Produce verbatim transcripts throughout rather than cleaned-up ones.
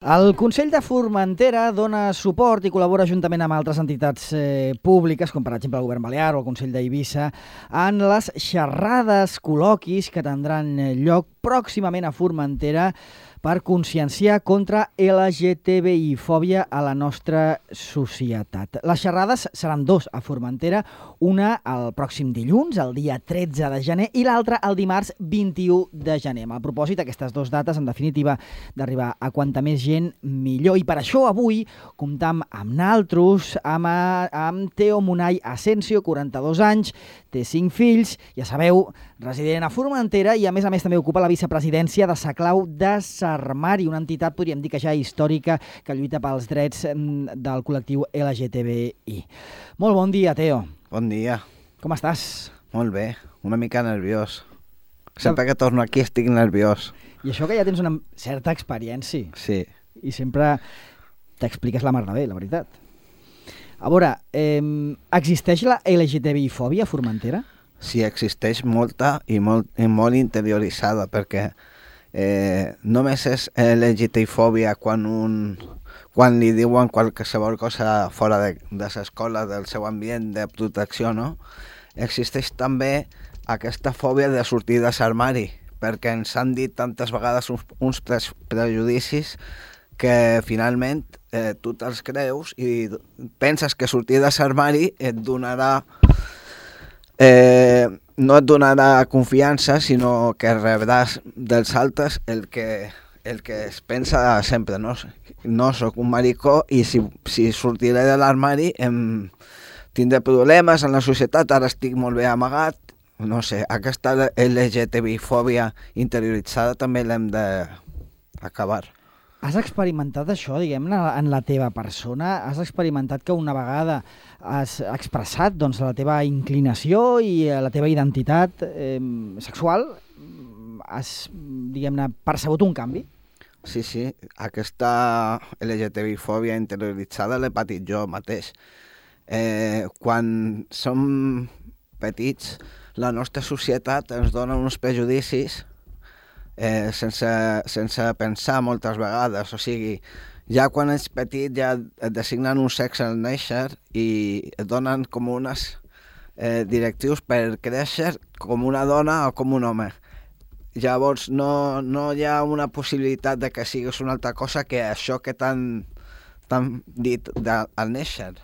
El Consell de Formentera dona suport i col·labora juntament amb altres entitats eh, públiques, com per exemple el Govern Balear o el Consell d'Eivissa, en les xerrades, col·loquis que tindran lloc pròximament a Formentera per conscienciar contra L G T B I fòbia a la nostra societat. Les xerrades seran dos a Formentera, una el pròxim dilluns, el dia tretze de gener, i l'altra el dimarts vint-i-u de gener. Amb el propòsit, aquestes dues dates, en definitiva, d'arribar a quanta més gent millor. I per això avui comptam amb naltros, amb, amb Teo Munay Asensio, quaranta-dos anys, té cinc fills, ja sabeu, resident a Formentera i a més a més també ocupa la vicepresidència de Sa Clau de Sarmari, una entitat, podríem dir que ja històrica, que lluita pels drets del col·lectiu L G T B I. Molt bon dia, Teo. Bon dia. Com estàs? Molt bé, una mica nerviós. Sempre que torno aquí estic nerviós. I això que ja tens una certa experiència. Sí. I sempre t'expliques la mar de bé, la veritat. A veure, eh, existeix la L G T B I fòbia a Formentera? Sí, existeix molta i molt, i molt interioritzada, perquè eh, només és L G T B I fòbia quan, un, quan li diuen qualsevol cosa fora de, de l'escola, del seu ambient de protecció, no? Existeix també aquesta fòbia de sortir de l'armari, perquè ens han dit tantes vegades uns, uns pre prejudicis que finalment eh, tu te'ls creus i penses que sortir de l'armari et donarà eh, no et donarà confiança, sinó que rebràs dels altres el que, el que es pensa sempre, no? No soc un maricó i si, si sortiré de l'armari em tindré problemes en la societat, ara estic molt bé amagat. No sé, aquesta L G T B I fòbia interioritzada també l'hem d'acabar. Has experimentat això, diguem-ne, en la teva persona? Has experimentat que una vegada has expressat doncs, la teva inclinació i la teva identitat eh, sexual? Has, diguem-ne, percebut un canvi? Sí, sí. Aquesta L G T B I fòbia interioritzada l'he patit jo mateix. Eh, quan som petits, la nostra societat ens dona uns prejudicis eh, sense, sense pensar moltes vegades. O sigui, ja quan ets petit ja et designen un sexe al néixer i et donen com unes eh, directius per créixer com una dona o com un home. Llavors no, no hi ha una possibilitat de que siguis una altra cosa que això que t'han dit de, al néixer.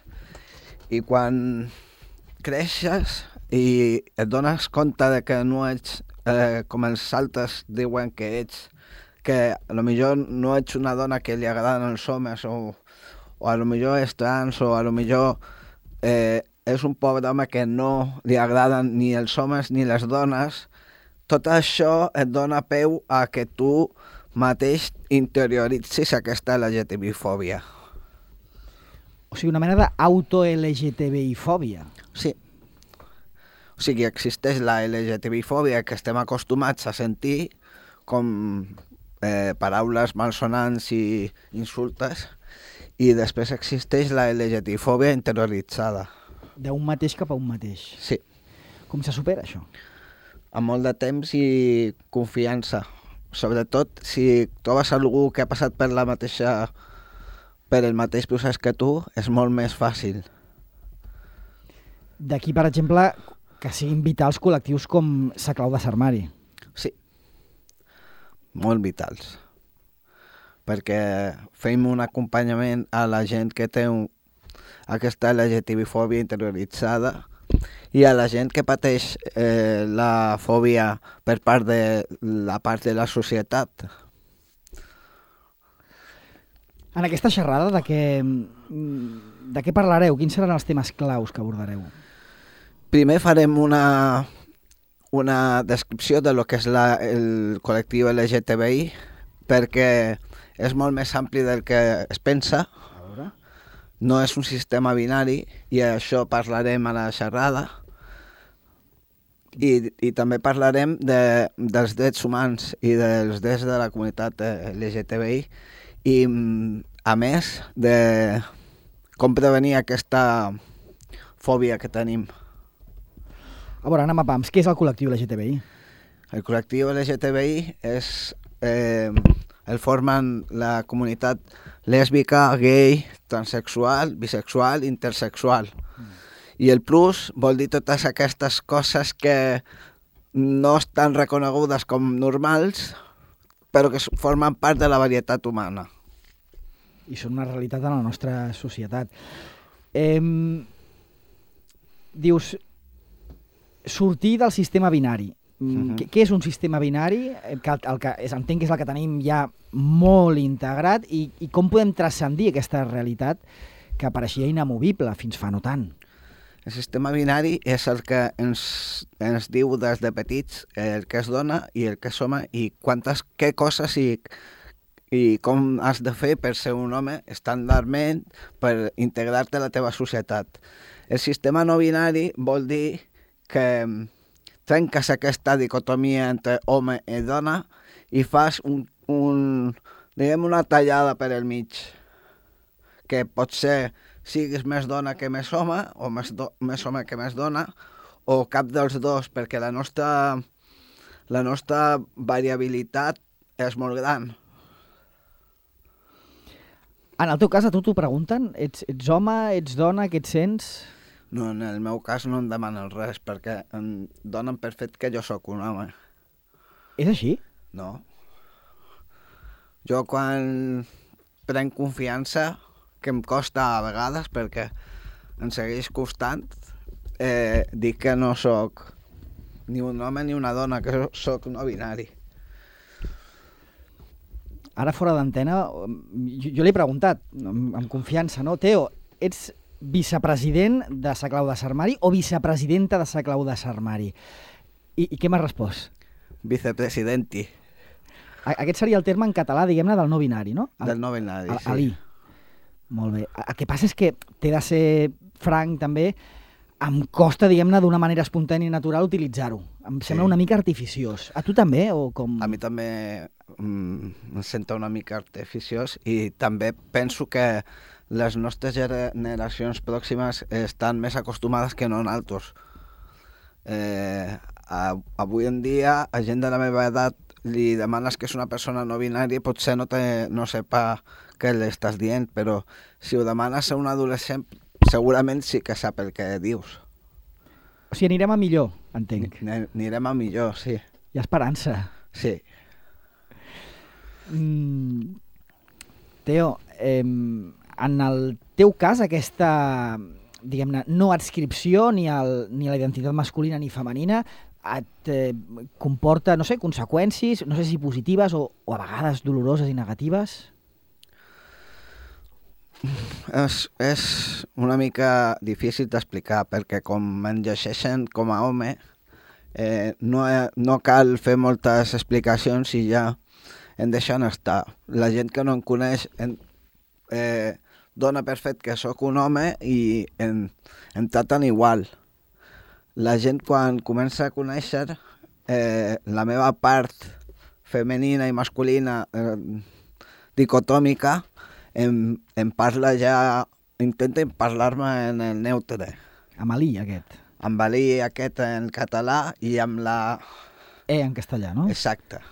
I quan creixes i et dones compte de que no ets eh, com els altres diuen que ets, que a lo millor no ets una dona que li agraden els homes o, o a lo millor és trans o a lo millor eh, és un pobre home que no li agraden ni els homes ni les dones, tot això et dona peu a que tu mateix interioritzis aquesta L G T B I fòbia. O sigui, una mena d'auto-L G T B I fòbia. Sí. O sigui, existeix la L G T B I fòbia que estem acostumats a sentir com eh, paraules malsonants i insultes, i després existeix la L G T B I fòbia interioritzada. D'un mateix cap a un mateix. Sí. Com se supera això? Amb molt de temps i confiança. Sobretot si trobes algú que ha passat per la mateixa per el mateix procés que tu, és molt més fàcil. D'aquí, per exemple, que siguin vitals col·lectius com Sa Clau de Sarmari. Sí, molt vitals. Perquè fem un acompanyament a la gent que té un, aquesta L G T B I fòbia interioritzada i a la gent que pateix eh, la fòbia per part de la part de la societat. En aquesta xerrada, de què, de què parlareu? Quins seran els temes claus que abordareu? Primer farem una, una descripció de lo que és la, el col·lectiu L G T B I, perquè és molt més ampli del que es pensa. A veure. No és un sistema binari i això parlarem a la xerrada. I, i també parlarem de, dels drets humans i dels drets de la comunitat L G T B I i, a més, de com prevenir aquesta fòbia que tenim. A veure, anem a pams. Què és el col·lectiu L G T B I? El col·lectiu L G T B I és eh, el formen la comunitat lèsbica, gay, transexual, bisexual, intersexual. Mm. I el plus vol dir totes aquestes coses que no estan reconegudes com normals, però que formen part de la varietat humana. I són una realitat en la nostra societat. Eh, dius, sortir del sistema binari. Uh-huh. Què, què és un sistema binari? Que el, el que és, entenc que és el que tenim ja molt integrat i, i com podem transcendir aquesta realitat que pareixia inamovible fins fa no tant? El sistema binari és el que ens, ens diu des de petits el que és dona i el que és home i quantes, què coses i, i com has de fer per ser un home estàndardment per integrar-te a la teva societat. El sistema no binari vol dir que trenques aquesta dicotomia entre home i dona i fas un, un, diguem una tallada per el mig, que pot ser siguis més dona que més home, o més, do, més home que més dona, o cap dels dos, perquè la nostra, la nostra variabilitat és molt gran. En el teu cas, a tu t'ho pregunten? Ets, ets home, ets dona, què et sents? No, en el meu cas no em demanen res, perquè em donen per fet que jo sóc un home. És així? No. Jo quan prenc confiança, que em costa a vegades, perquè em segueix costant, eh, dic que no sóc ni un home ni una dona, que sóc no binari. Ara fora d'antena, jo, jo l'he preguntat, amb, amb confiança, no? Teo, ets vicepresident de Sa Clau de Sarmari o vicepresidenta de Sa Clau de Sarmari? I, i què m'has respost? Vicepresidenti. Aquest seria el terme en català, diguem-ne, del no binari, no? El, del no binari, el, sí. Ali. Molt bé. El que passa és que t'he de ser franc, també, em costa, diguem-ne, d'una manera espontània i natural utilitzar-ho. Em sembla sí. una mica artificiós. A tu també? O com... A mi també mm, em sento una mica artificiós i també penso que les nostres generacions pròximes estan més acostumades que no nosaltres. Eh, avui en dia, a gent de la meva edat li demanes que és una persona no binària i potser no, te, no sepa què li estàs dient, però si ho demanes a un adolescent segurament sí que sap el que dius. O sigui, anirem a millor, entenc. Anirem a millor, sí. Hi ha esperança. Sí. Mm, Teo, eh, en el teu cas, aquesta, diguem-ne, no adscripció ni, el, ni la identitat masculina ni femenina et eh, comporta, no sé, conseqüències, no sé si positives o, o a vegades doloroses i negatives? És, és una mica difícil d'explicar perquè com em llegeixen com a home eh, no, no cal fer moltes explicacions i ja em deixen estar. La gent que no em coneix en, eh, dona per fet que sóc un home i em, em traten igual. La gent quan comença a conèixer eh, la meva part femenina i masculina eh, dicotòmica em, em parla ja, intenten parlar-me en el neutre. Amb l'I, aquest. Amb l'I, aquest en català i amb la... E en castellà, no? Exacte.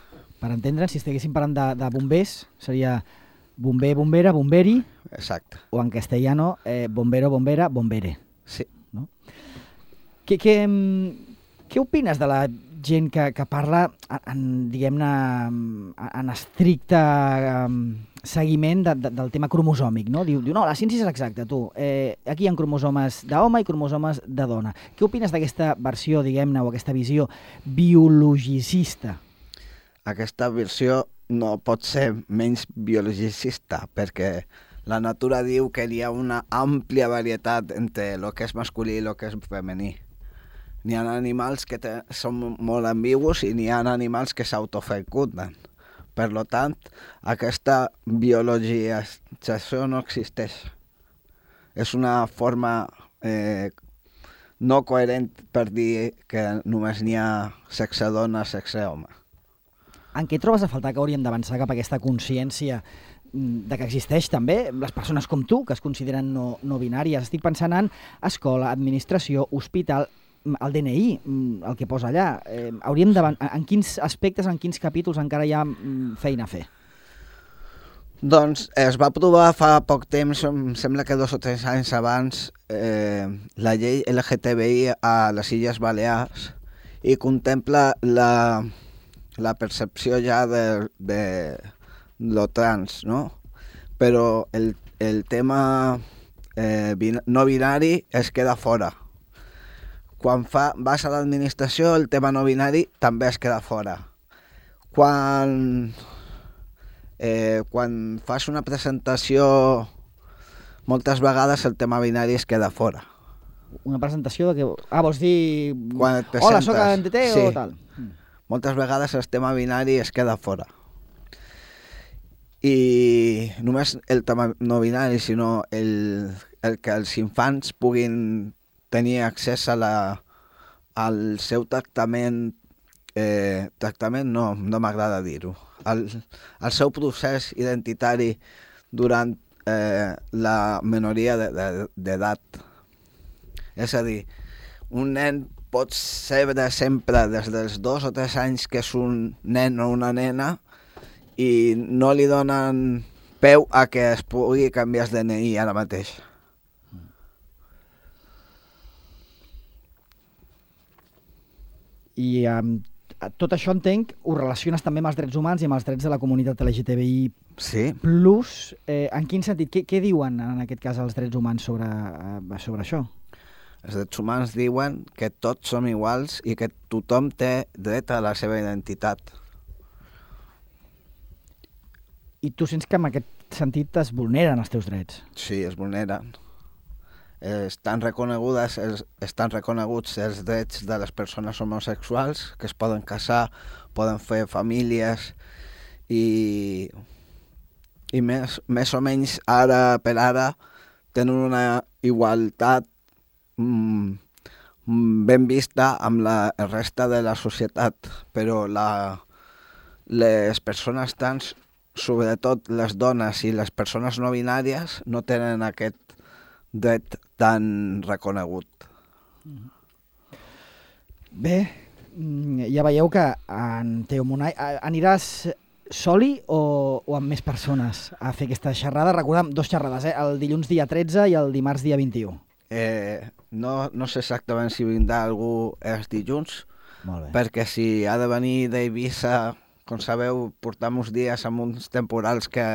Per entendre, si estiguéssim parlant de, de bombers, seria bomber, bombera, bomberi. Exacte. O en castellano, eh, bombero, bombera, bombere. Sí. No? Què, què, què opines de la gent que, que parla, en, diguem-ne, en estricte um, seguiment de, de, del tema cromosòmic, no? Diu, diu, no, la ciència és exacta, tu. Eh, aquí hi ha cromosomes d'home i cromosomes de dona. Què opines d'aquesta versió, diguem-ne, o aquesta visió biologicista? Aquesta versió no pot ser menys biologicista, perquè la natura diu que hi ha una àmplia varietat entre el que és masculí i el que és femení. N'hi ha animals que te, són molt ambigus i n'hi ha animals que s'autofecunden. Per tant, aquesta biologització no existeix. És una forma eh, no coherent per dir que només n'hi ha sexe dona, sexe home. En què trobes a faltar que hauríem d'avançar cap a aquesta consciència de que existeix també les persones com tu, que es consideren no, no binàries? Estic pensant en escola, administració, hospital, el D N I, el que posa allà. Eh, hauríem en quins aspectes, en quins capítols encara hi ha feina a fer? Doncs es va aprovar fa poc temps, em sembla que dos o tres anys abans, eh, la llei L G T B I a les Illes Balears i contempla la, la percepció ja de, de lo trans, no? Però el, el tema eh, no binari es queda fora. Quan fa, vas a l'administració, el tema no binari també es queda fora. Quan... Eh, quan fas una presentació, moltes vegades el tema binari es queda fora. Una presentació de què... Ah, vols dir... Quan et presentes, hola, soc a l'N T T sí. O tal? Moltes vegades el tema binari es queda fora. I només el tema no binari, sinó el, el que els infants puguin tenir accés a la, al seu tractament, eh, tractament no, no m'agrada dir-ho, El, el seu procés identitari durant eh, la minoria d'edat. És a dir, un nen pot ser de sempre, des dels dos o tres anys que és un nen o una nena, i no li donen peu a que es pugui canviar el D N I ara mateix. I amb um... tot això, entenc, ho relaciones també amb els drets humans i amb els drets de la comunitat L G T B I sí. plus. Eh, en quin sentit? Què, què diuen, en aquest cas, els drets humans sobre, eh, sobre això? Els drets humans diuen que tots som iguals i que tothom té dret a la seva identitat. I tu sents que en aquest sentit es vulneren els teus drets? Sí, es vulneren. Estan reconegudes, estan reconeguts els drets de les persones homosexuals, que es poden casar, poden fer famílies i, i més, més o menys ara per ara tenen una igualtat mm, ben vista amb la resta de la societat, però la, les persones trans, sobretot les dones i les persones no binàries, no tenen aquest dret tan reconegut. Bé, ja veieu que en Teo Monay aniràs soli o, o amb més persones a fer aquesta xerrada? Recordem, dos xerrades, eh? El dilluns dia tretze i el dimarts dia vint-i-u. Eh, no, no sé exactament si vindrà algú els dilluns, perquè si ha de venir d'Eivissa, com sabeu, portam uns dies amb uns temporals que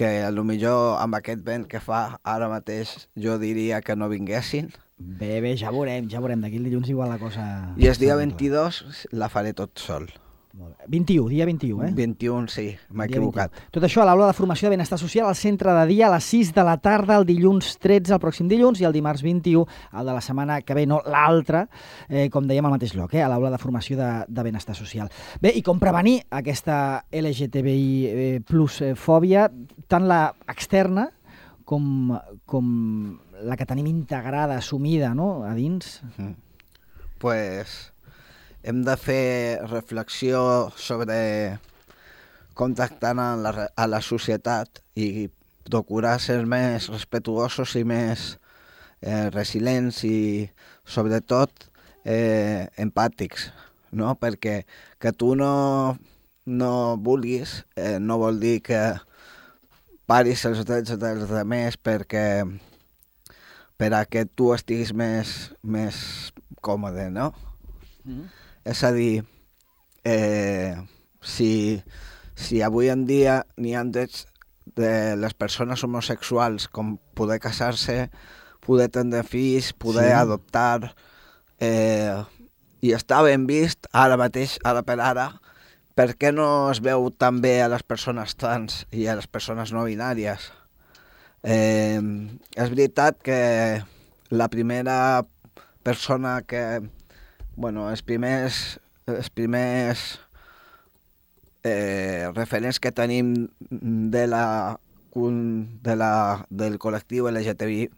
que potser amb aquest vent que fa ara mateix jo diria que no vinguessin. Bé, bé, ja veurem, ja veurem. D'aquí el dilluns igual la cosa... I el dia vint-i-dos la faré tot sol. Molt bé. vint-i-u, dia vint-i-u, eh? vint-i-u, sí, m'he equivocat. vint-i-u. Tot això a l'aula de formació de benestar social al centre de dia a les sis de la tarda, el dilluns tretze, el pròxim dilluns, i el dimarts vint-i-u, el de la setmana que ve, no l'altre, eh, com dèiem al mateix lloc, eh, a l'aula de formació de, de benestar social. Bé, i com prevenir aquesta L G T B I eh, plus eh, fòbia, tant la externa com, com la que tenim integrada, assumida, no?, a dins? Mm. Pues... hem de fer reflexió sobre com tractar a la, a la societat i procurar ser més respetuosos i més eh, resilients i, sobretot, eh, empàtics, no? Perquè que tu no, no vulguis eh, no vol dir que paris els drets dels altres perquè per a que tu estiguis més, més còmode, no? Mm. És a dir, eh, si, si avui en dia n'hi ha drets de les persones homosexuals com poder casar-se, poder tindre fills, poder sí. adoptar, eh, i està ben vist ara mateix, ara per ara, per què no es veu tan bé a les persones trans i a les persones no binàries? Eh, és veritat que la primera persona que... Bueno, els primers, els primers eh, referents que tenim de la, de la, del col·lectiu L G T B I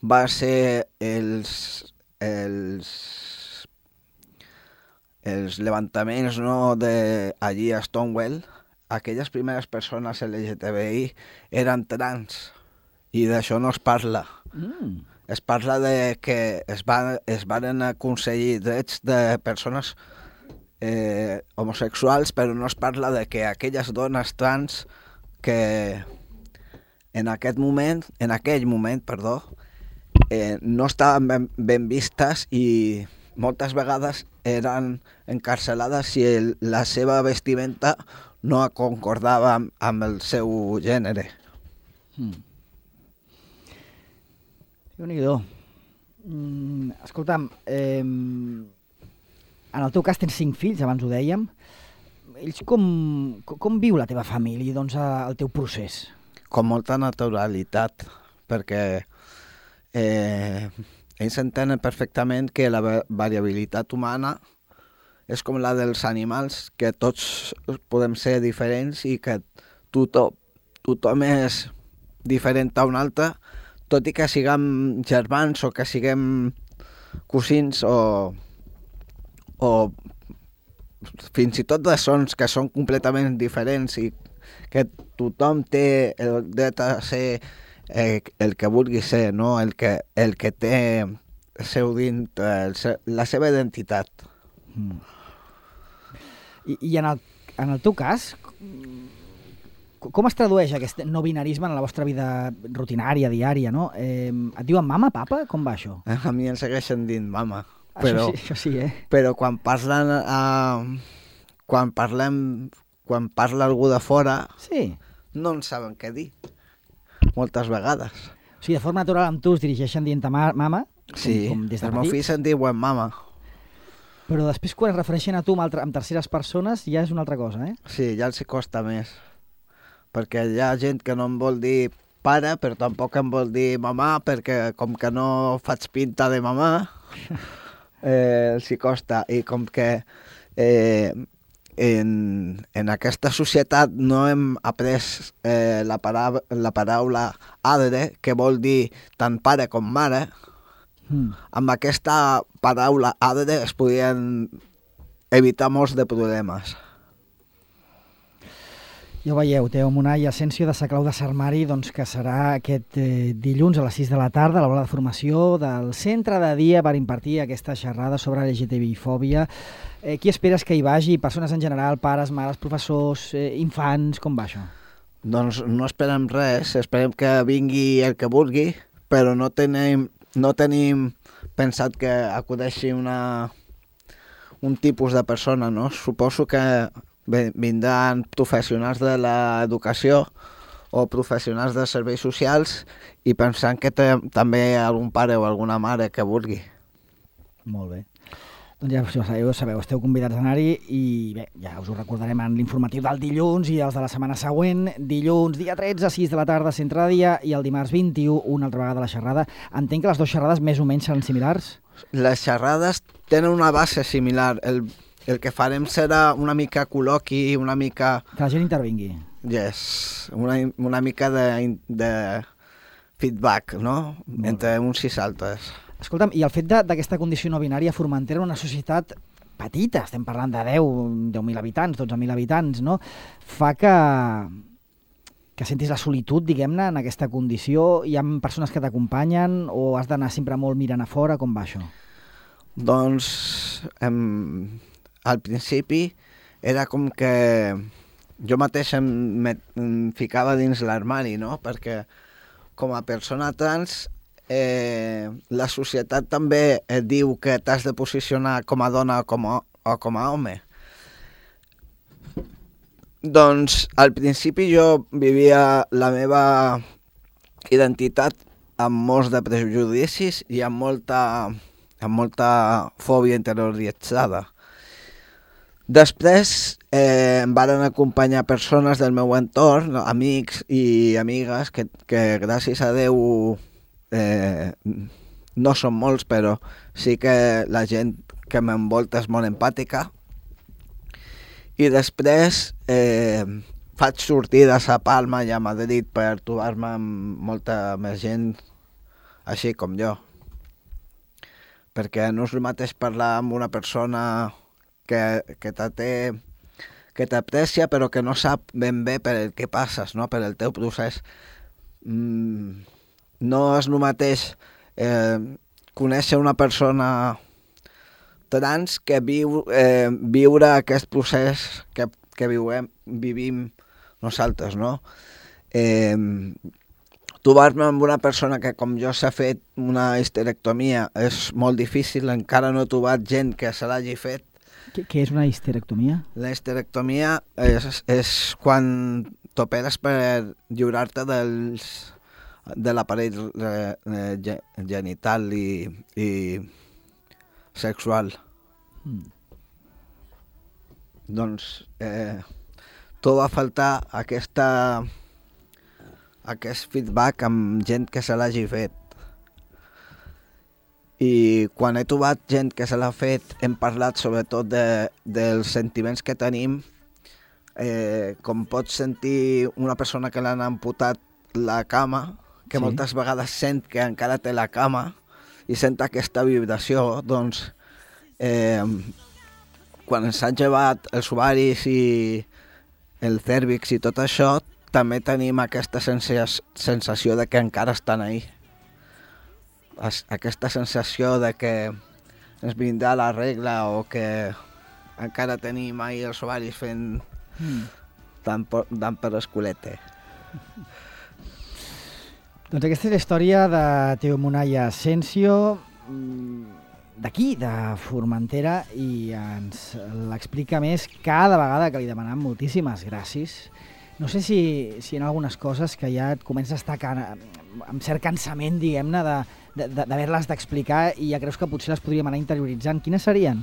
va ser els, els, els levantaments, no, de allí a Stonewall. Aquelles primeres persones L G T B I eren trans i d'això no es parla. Mm. Es parla de que es, va, es van aconseguir drets de persones eh, homosexuals, però no es parla de que aquelles dones trans que en aquest moment, en aquell moment, perdó, eh, no estaven ben, ben vistes i moltes vegades eren encarcelades si el, la seva vestimenta no concordava amb, amb el seu gènere. Mm. Déu-n'hi-do. Mm, escolta'm, eh, en el teu cas tens cinc fills, abans ho dèiem. Ells com, com viu la teva família, doncs, el teu procés? Com molta naturalitat, perquè eh, ells entenen perfectament que la variabilitat humana és com la dels animals, que tots podem ser diferents i que tothom, tothom és diferent a un altre, tot i que siguem germans o que siguem cosins o, o fins i tot de sons que són completament diferents i que tothom té el dret a ser eh, el que vulgui ser, no? el, que, el que té el seu dint, el se, la seva identitat. Mm. I, i en, el, en el teu cas, com es tradueix aquest no binarisme en la vostra vida rutinària, diària, no? Eh, et diuen mama, papa? Com va això? A mi em segueixen dint mama. Això Però, sí, això sí, eh? Però quan parlen, uh, quan parlem, quan parla algú de fora, sí. no en saben què dir, moltes vegades. O sigui, de forma natural amb tu es dirigeixen dient mama? Sí, com, com des de els meus fills se'n diuen mama. Però després quan es refereixen a tu amb, altre, amb terceres persones ja és una altra cosa, eh? Sí, ja els costa més. Perquè hi ha gent que no em vol dir pare, però tampoc em vol dir mamà, perquè com que no faig pinta de mamà, eh, els costa. I com que eh, en, en aquesta societat no hem après eh, la, para, la paraula adre, que vol dir tant pare com mare, mm. amb aquesta paraula adre es podien evitar molts de problemes. Ja ho veieu, Teo Monà i Asensio de Sa Clau de Sarmari, doncs, que serà aquest eh, dilluns a les sis de la tarda a l'aula de formació del centre de dia per impartir aquesta xerrada sobre L G T B I-fòbia. Eh, qui esperes que hi vagi? Persones en general, pares, mares, professors, eh, infants, com va això? Doncs no esperem res, esperem que vingui el que vulgui, però no tenim, no tenim pensat que acudeixi una, un tipus de persona, no? Suposo que vindran professionals de l'educació o professionals de serveis socials i pensant que té també algun pare o alguna mare que vulgui. Molt bé. Doncs ja ho sabeu, sabeu, esteu convidats a anar-hi i bé, ja us ho recordarem en l'informatiu del dilluns i els de la setmana següent. Dilluns, dia tretze, a sis de la tarda, centre de dia, i el dimarts vint-i-u, una altra vegada la xerrada. Entenc que les dues xerrades més o menys seran similars? Les xerrades tenen una base similar. El El que farem serà una mica col·loqui, una mica... Que la gent intervingui. Yes, una, una mica de, de feedback, no? Molt entre bé. Uns i altres. Escolta'm, i el fet d'aquesta condició no binària a Formentera, una societat petita, estem parlant de deu mil habitants, dotze mil habitants, no? Fa que, que sentis la solitud, diguem-ne, en aquesta condició. Hi ha persones que t'acompanyen o has d'anar sempre molt mirant a fora? Com va això? Doncs... Em... Al principi era com que jo mateix em, me, em ficava dins l'armari, no? Perquè com a persona trans eh, la societat també et diu que t'has de posicionar com a dona o com a, o com a home. Doncs al principi jo vivia la meva identitat amb molts de prejudicis i amb molta, amb molta fòbia interioritzada. Després eh, em van acompanyar persones del meu entorn, amics i amigues, que, que gràcies a Déu eh, no són molts, però sí que la gent que m'envolta és molt empàtica. I després eh, faig sortides a Palma i a Madrid per trobar-me amb molta més gent així com jo. Perquè no és el mateix parlar amb una persona que, que té, que t'aprecia però que no sap ben bé per el que passes, no? Per el teu procés. Mm, no és el mateix eh, conèixer una persona trans que viu, eh, viure aquest procés que, que viuem, vivim nosaltres, no? eh, trobar-me amb una persona que com jo s'ha fet una histerectomia és molt difícil, encara no he trobat gent que se l'hagi fet. Què, què és una histerectomia? La histerectomia és, és quan t'operes per lliurar-te dels, de l'aparell eh, genital i, i sexual. Mm. Doncs eh, tot va faltar aquesta, aquest feedback amb gent que se l'hagi fet. I quan he trobat gent que se l'ha fet, hem parlat sobretot de, dels sentiments que tenim, eh, com pots sentir una persona que l'han amputat la cama, que sí. Moltes vegades sent que encara té la cama i sent aquesta vibració, doncs eh, quan ens han llevat els ovaris i el cèrvix i tot això, també tenim aquesta sensació de que encara estan ahí. Aquesta sensació de que ens vindrà la regla o que encara tenim ahí els ovaris fent mm. tant, per, tant per l'esculete. Doncs aquesta és la història de Teo Munaya Asensio, d'aquí, de Formentera, i ens l'explica més cada vegada que li demanem moltíssimes gràcies. No sé si, si hi ha algunes coses que ja et comença a estar can... amb cert cansament, diguem-ne, de, de, d'haver-les d'explicar i ja creus que potser les podríem anar interioritzant. Quines serien?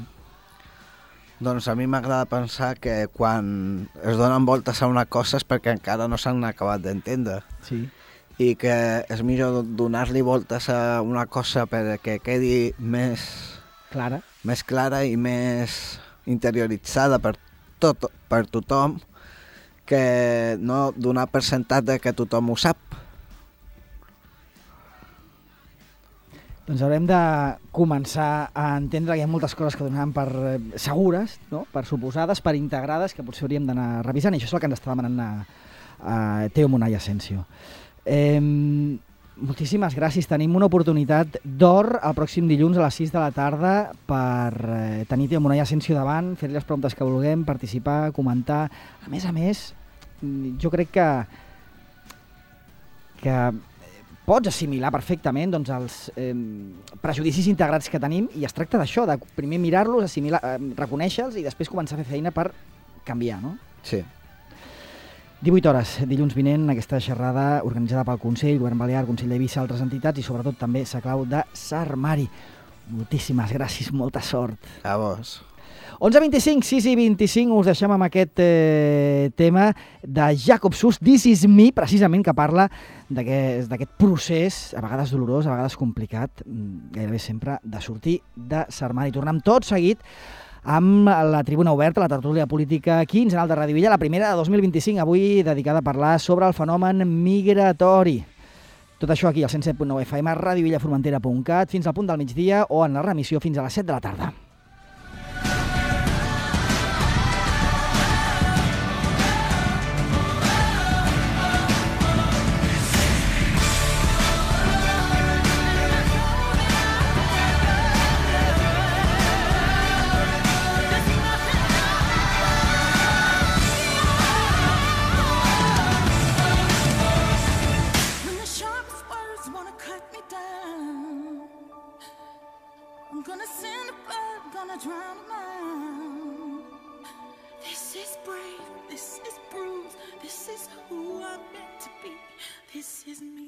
Doncs a mi m'agrada pensar que quan es donen voltes a una cosa és perquè encara no s'han acabat d'entendre. Sí. I que és millor donar-li voltes a una cosa perquè quedi més clara, més clara i més interioritzada per, tot, per tothom, que no donar per sentat de que tothom ho sap. Doncs haurem de començar a entendre que hi ha moltes coses que donem per segures, no? Per suposades, per integrades, que potser hauríem d'anar revisant, i això és el que ens està demanant a, a Teo Munaya Asensio. Eh, moltíssimes gràcies. Tenim una oportunitat d'or el pròxim dilluns a les sis de la tarda per eh, tenir Teo Munaya Asensio davant, fer-li les preguntes que vulguem, participar, comentar. A més a més, jo crec que, que pots assimilar perfectament doncs, els eh, prejudicis integrats que tenim, i es tracta d'això, de primer mirar-los, assimilar, eh, reconèixer-los i després començar a fer feina per canviar, no? Sí. divuit hores, dilluns vinent, aquesta xerrada organitzada pel Consell, Govern Balear, Consell d'Eivissa, altres entitats i sobretot també Saclau de Sarmari. Moltíssimes gràcies, molta sort. A vos. onze vint-i-cinc, sis i vint-i-cinc, us deixem amb aquest eh, tema de Jacob Sus, This Is Me, precisament, que parla d'aquest procés, a vegades dolorós, a vegades complicat, gairebé sempre, de sortir de Sarmari. Tornem tot seguit amb la tribuna oberta, la tertúlia política quinzenal de Ràdio Villa, la primera de dos mil vint-i-cinc, avui dedicada a parlar sobre el fenomen migratori. Tot això aquí al cent set punt nou F M, radiovillaformentera punt cat, fins al punt del migdia o en la remissió fins a les set de la tarda. This is me.